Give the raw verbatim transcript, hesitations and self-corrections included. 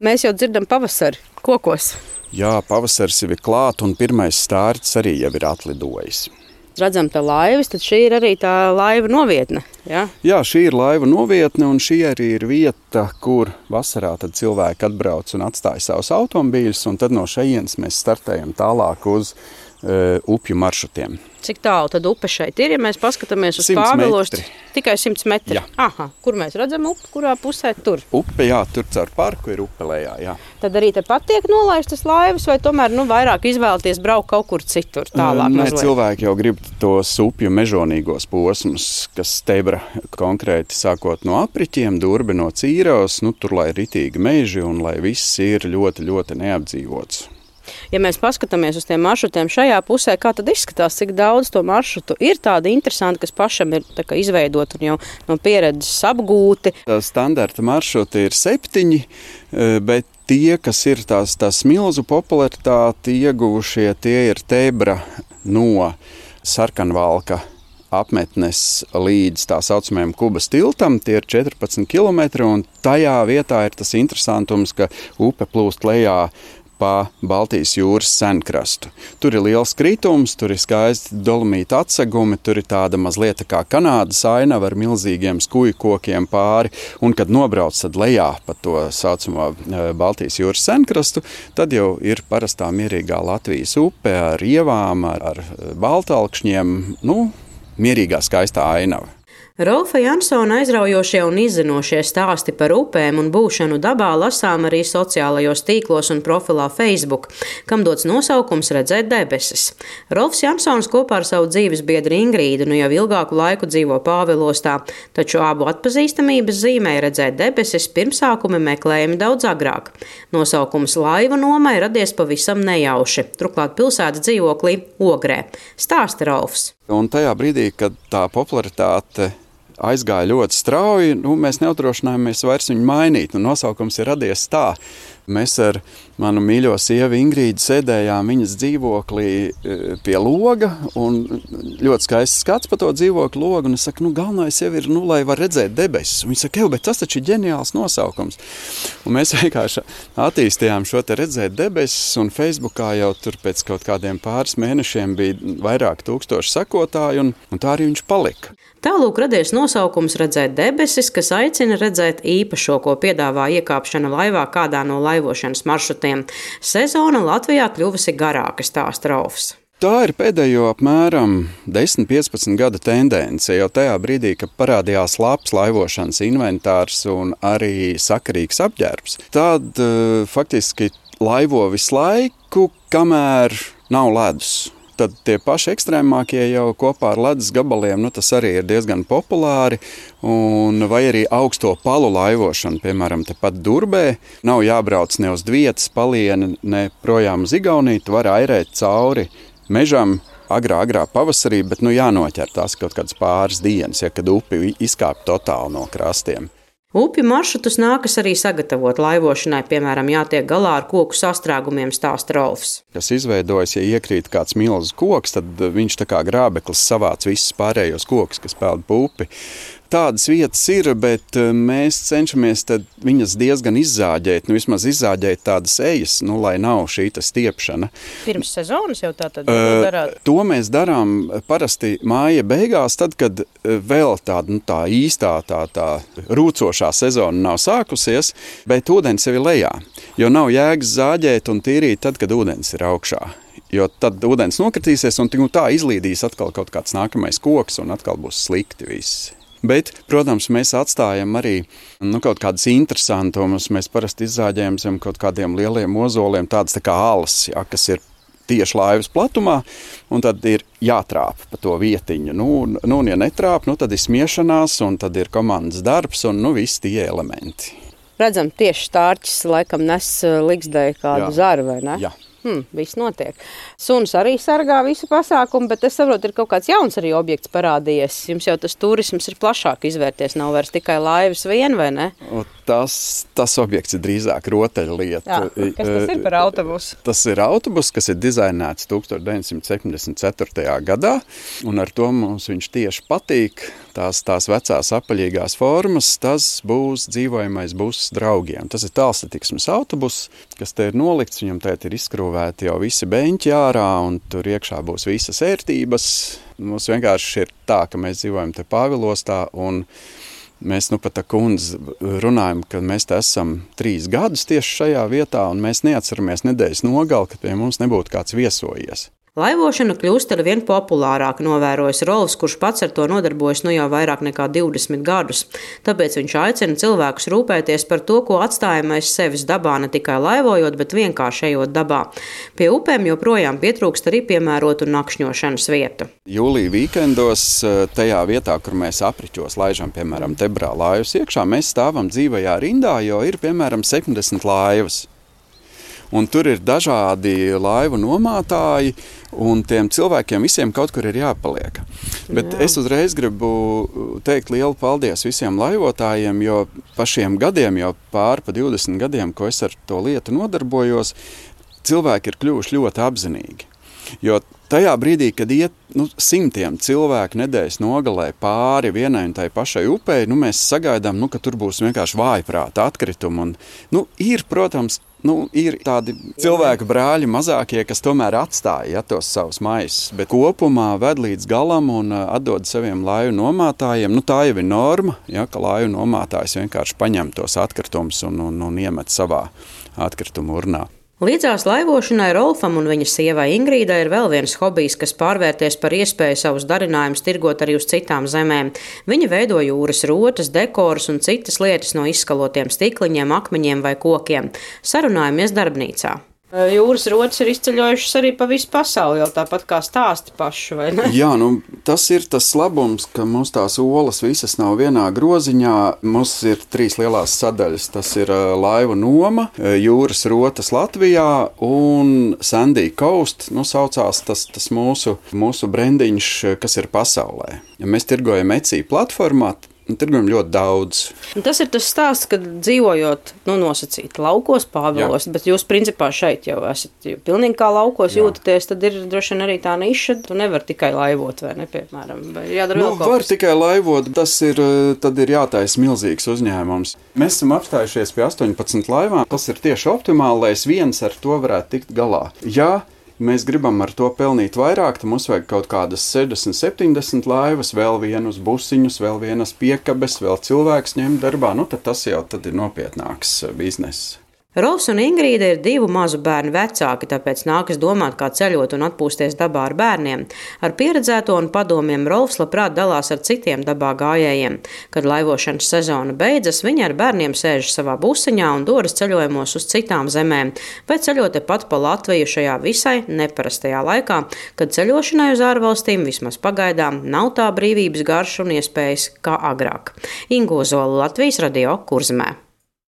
Mēs jau dzirdam pavasari kokos. Jā, pavasaris jau ir klāt un pirmais stārķis arī jau ir atlidojis. Redzam tā laivas, tad šī ir arī tā laiva novietne. Ja? Jā, šī ir laiva novietne un šī arī ir vieta, kur vasarā tad cilvēki atbrauc un atstāja savus automobīļus, un tad no šejienes mēs startējam tālāk uz uh, upju maršrutiem. Cik tālu tad upe šeit ir, ja mēs paskatāmies uz Pāvilostu? Tikai simts metri. Jā. Aha, kur mēs redzam upi, kurā pusē tur? Upe, jā, tur caur parku ir upe lejā, jā. Tad arī te pat tiek nolaistas laivas, vai tomēr nu, vairāk izvēlēties braukt kaut kur citur tālāk? Nē, mazliet? cilvēki jau grib tos upju mežonīgos posmus, kas Stebra konkrēti sākot no apriķiem, Durbe no Cīravas, nu tur lai ritīgi meži un lai viss ir ļoti, ļoti neapdzīvots. Ja mēs paskatāmies uz tiem maršrutiem šajā pusē, kā tad izskatās, cik daudz to maršrutu ir tādi interesanti, kas pašam ir tā kā izveidot un jau no pieredzes apgūti? Standarta maršruti ir septiņi, bet tie, kas ir tās, tās milzu popularitāti ieguvušie, tie ir Tebra no Sarkanvalka apmetnes līdz tā saucamajam Kubas tiltam, tie ir četrpadsmit kilometri, un tajā vietā ir tas interesantums, ka upe plūst lejā pa Baltijas jūras senkrastu. Tur ir liels kritums, tur ir skaisti dolomīta atsegumi, tur ir tāda mazliet kā Kanādas ainava ar milzīgiem skuju kokiem pāri, un kad nobrauc tad lejā pa to saucamo Baltijas jūras senkrastu, tad jau ir parastā mierīgā Latvijas upe ar ievām, ar, ar baltalkšņiem, nu, mierīgā skaistā ainava. Rolfa Jansona aizraujošie un izzinošie stāsti par upēm un būšanu dabā lasām arī sociālajos tīklos un profilā Facebook, kam dots nosaukums Redzēt debesis. Rolfs Jansons kopā ar savu dzīves biedru Ingrīdu nu jau ilgāku laiku dzīvo Pāvilostā, taču abu atpazīstamības zīmē Redzēt debesis pirmsākumi meklējami daudz agrāk. Nosaukums laiva nomai radies pavisam nejauši, turklāt pilsētas dzīvoklī Ogrē. Stāsta Rolfs. Un tajā brīdī, kad tā popularitāte aizgāja ļoti strauji, nu, mēs neuzdrošinājāmies vairs viņu mainīt. Nu, nosaukums ir radies tā. Mēs ar manu mīļo sievu Ingrīdu sēdējām viņas dzīvoklī pie loga, un ļoti skaists skats pa to dzīvokļu logu, un es saku, nu, galvenais jau ir, nu, lai var redzēt debesis. Un viņa saka, jau, bet tas taču ir ģeniāls nosaukums. Un mēs vienkārši attīstījām šo te Redzēt debesis, un Facebookā jau tur pēc kaut kādiem pāris mēnešiem bija vairāk tūkstoši sekotāju, un, un tā arī viņš palika. Tālūk radies nosaukums Redzēt debesis, kas aicina redzēt īpašo, ko piedāvā iekāpšana laivā kādā no laivošanas maršrutiem. Sezona Latvijā kļuvusi garāka, stāsta Rolfs. Tā ir pēdējo apmēram desmit piecpadsmit gada tendence, jau tajā brīdī, kad parādījās labs laivošanas inventārs un arī sakarīgs apģērbs. Tad uh, faktiski laivo visu laiku, kamēr nav ledus. Tad tie paši ekstrēmākie jau kopā ar ledus gabaliem, nu tas arī ir diezgan populāri, un vai arī augsto palu laivošana, piemēram, tepat Durbē, nav jābrauc ne uz Dvietas palieni, ne projām uz Igauniju, tu vari airēt cauri mežam agrā, agrā pavasarī, bet nu jānoķer tās kaut kādas pāris dienas, ja kad upi izkāp totāli no krastiem. Upju maršrutus nākas arī sagatavot laivošanai, piemēram, jātiek galā ar koku sastrēgumiem, stāsta Rolfs. Kas izveidojas, ja iekrīt kāds milzu koks, tad viņš tā kā grābeklis savāc visus pārējos kokus, kas peld pa upi. Tādas vietas ir, bet mēs cenšamies viņas diezgan izzāģēt, nu vismaz izzāģēt tādas ejas, nu, lai nav šī stiepšana. Pirms sezonas jau tā tad uh, darāt? To mēs darām parasti māja beigās, tad, kad vēl tāda nu, tā īstā tā, tā rūcošā sezona nav sākusies, bet ūdens jau ir lejā, jo nav jēgas zāģēt un tīrīt tad, kad ūdens ir augšā. Jo tad ūdens nokritīsies un tā izlīdīs atkal kaut kāds nākamais koks un atkal būs slikti viss. Bet, protams, mēs atstājam arī nu, kaut kādas interesantumus. Mēs parasti izzāģējam zem kaut kādiem lieliem ozoliem, tādas tā kā alas, ja, kas ir tieši laivas platumā, un tad ir jātrāp pa to vietiņu. Nu, nu, un ja netrāp, nu, tad ir smiešanās, un tad ir komandas darbs, un nu, visi tie elementi. Redzam, tieši stārķis laikam nes ligzdēju kādu Jā. zaru, vai ne? Jā. Hmm, viss notiek. Suns arī sargā visu pasākumu, bet es saprotu, ir kaut kāds jauns arī objekts parādījies. Jums jau tas turisms ir plašāk izvērties, nav vairs tikai laivas vien, vai ne? tas, tas objekts ir drīzāk rotaļlieta. Jā, kas tas ir par autobusu? Tas ir autobus, kas ir dizainēts tusenč deviņsimt septiņdesmit ceturtajā gadā, un ar to mums viņš tieši patīk. Tās, tās vecās apaļīgās formas, tas būs dzīvojamais buss draugiem. Tas ir tālsatiksmes autobus, kas te ir nolikts, viņam tēt ir izskrūvēti jau visi beņķi ārā, un tur iekšā būs visas ērtības. Mums vienkārši ir tā, ka mēs dzīvojam te Pāvilostā, un mēs nu pat ar kundzi runājam, ka mēs te esam trīs gadus tieši šajā vietā, un mēs neatceramies nedēļas nogali, kad pie mums nebūtu kāds viesojies. Laivošana kļūst ar vien populārāk, novērojas Rolfs, kurš pats ar to nodarbojas nu jau vairāk nekā divdesmit gadus. Tāpēc viņš aicina cilvēkus rūpēties par to, ko atstājam aiz sevis dabā, ne tikai laivojot, bet vienkārši ejot dabā. Pie upēm joprojām pietrūkst arī piemērotu nakšņošanas vietu. Jūlija vīkendos tajā vietā, kur mēs apriķos laižam, piemēram, Tebrā laivas iekšā, mēs stāvam dzīvajā rindā, jo ir, piemēram, septiņdesmit laivas. Un tur ir dažādi laivu nomātāji, un tiem cilvēkiem visiem kaut kur ir jāpaliek. Bet Jā. Es uzreiz gribu teikt lielu paldies visiem laivotājiem, jo pa šiem gadiem, jau pār pa divdesmit gadiem, ko es ar to lietu nodarbojos, cilvēki ir kļuvuši ļoti apzinīgi. Jo tajā brīdī, kad iet nu, simtiem cilvēku nedēļas nogalē pāri vienai un tai pašai upei, nu, mēs sagaidām, nu, ka tur būs vienkārši vājprāta atkritumi. Un, nu, ir, protams, nu, ir tādi cilvēku brāļi mazākie, kas tomēr atstāja ja, tos savus maisus, bet kopumā ved līdz galam un atdod saviem laivu nomātājiem. Nu, tā jau ir norma, ja, ka laivu nomātājs vienkārši paņem tos atkritumus un, un, un iemet savā atkritumu urnā. Līdzās laivošanai Rolfam un viņa sievai Ingrīdai ir vēl viens hobijs, kas pārvērties par iespēju savus darinājumus tirgot arī uz citām zemēm. Viņa veido jūras rotas, dekorus un citas lietas no izskalotiem stikliņiem, akmeņiem vai kokiem. Sarunājamies darbnīcā. Jūras rotas ir izceļojušas arī pa visu pasauli, jau tāpat kā stāsti paši, vai ne? Jā, nu, tas ir tas labums, ka mums tās olas visas nav vienā groziņā. Mums ir trīs lielās sadaļas. Tas ir laivu noma, jūras rotas Latvijā un Sandy Coast, nu, saucās tas, tas mūsu, mūsu brendiņš, kas ir pasaulē. Ja mēs tirgojam Etsy platformā, tirgojam ļoti daudz. Tas ir tas stāsts, kad dzīvojot, nu, nosacīt laukos, Pāvilos, bet jūs principā šeit jau esat jau pilnīgi kā laukos Jā. Jūtaties, tad ir droši vien arī tā niša, tu nevar tikai laivot, vai ne, piemēram, vai jādara nu, vēl kaut var kas. Tikai laivot, tas ir, tad ir jātaisa milzīgs uzņēmums. Mēs esam apstājušies pie astoņpadsmit laivām, tas ir tieši optimāli, lai es viens ar to varētu tikt galā. Ja mēs gribam ar to pelnīt vairāk, tad mums vajag kaut kādas sešdesmit, septiņdesmit laivas, vēl vienus busiņus, vēl vienas piekabes, vēl cilvēks ņemt darbā. Nu, tad tas jau tad ir nopietnāks bizness. Rolfs un Ingrīda ir divu mazu bērnu vecāki, tāpēc nākas domāt, kā ceļot un atpūsties dabā ar bērniem. Ar pieredzēto un padomiem Rolfs labprāt dalās ar citiem dabā gājējiem. Kad laivošanas sezona beidzas, viņi ar bērniem sēž savā busiņā un dodas ceļojumos uz citām zemēm, vai ceļot tepat pa Latviju šajā visai neparastajā laikā, kad ceļošanai uz ārvalstīm vismaz pagaidām nav tā brīvības garša un iespējas kā agrāk. Ingo Zola, Latvijas radio, Kurzemē.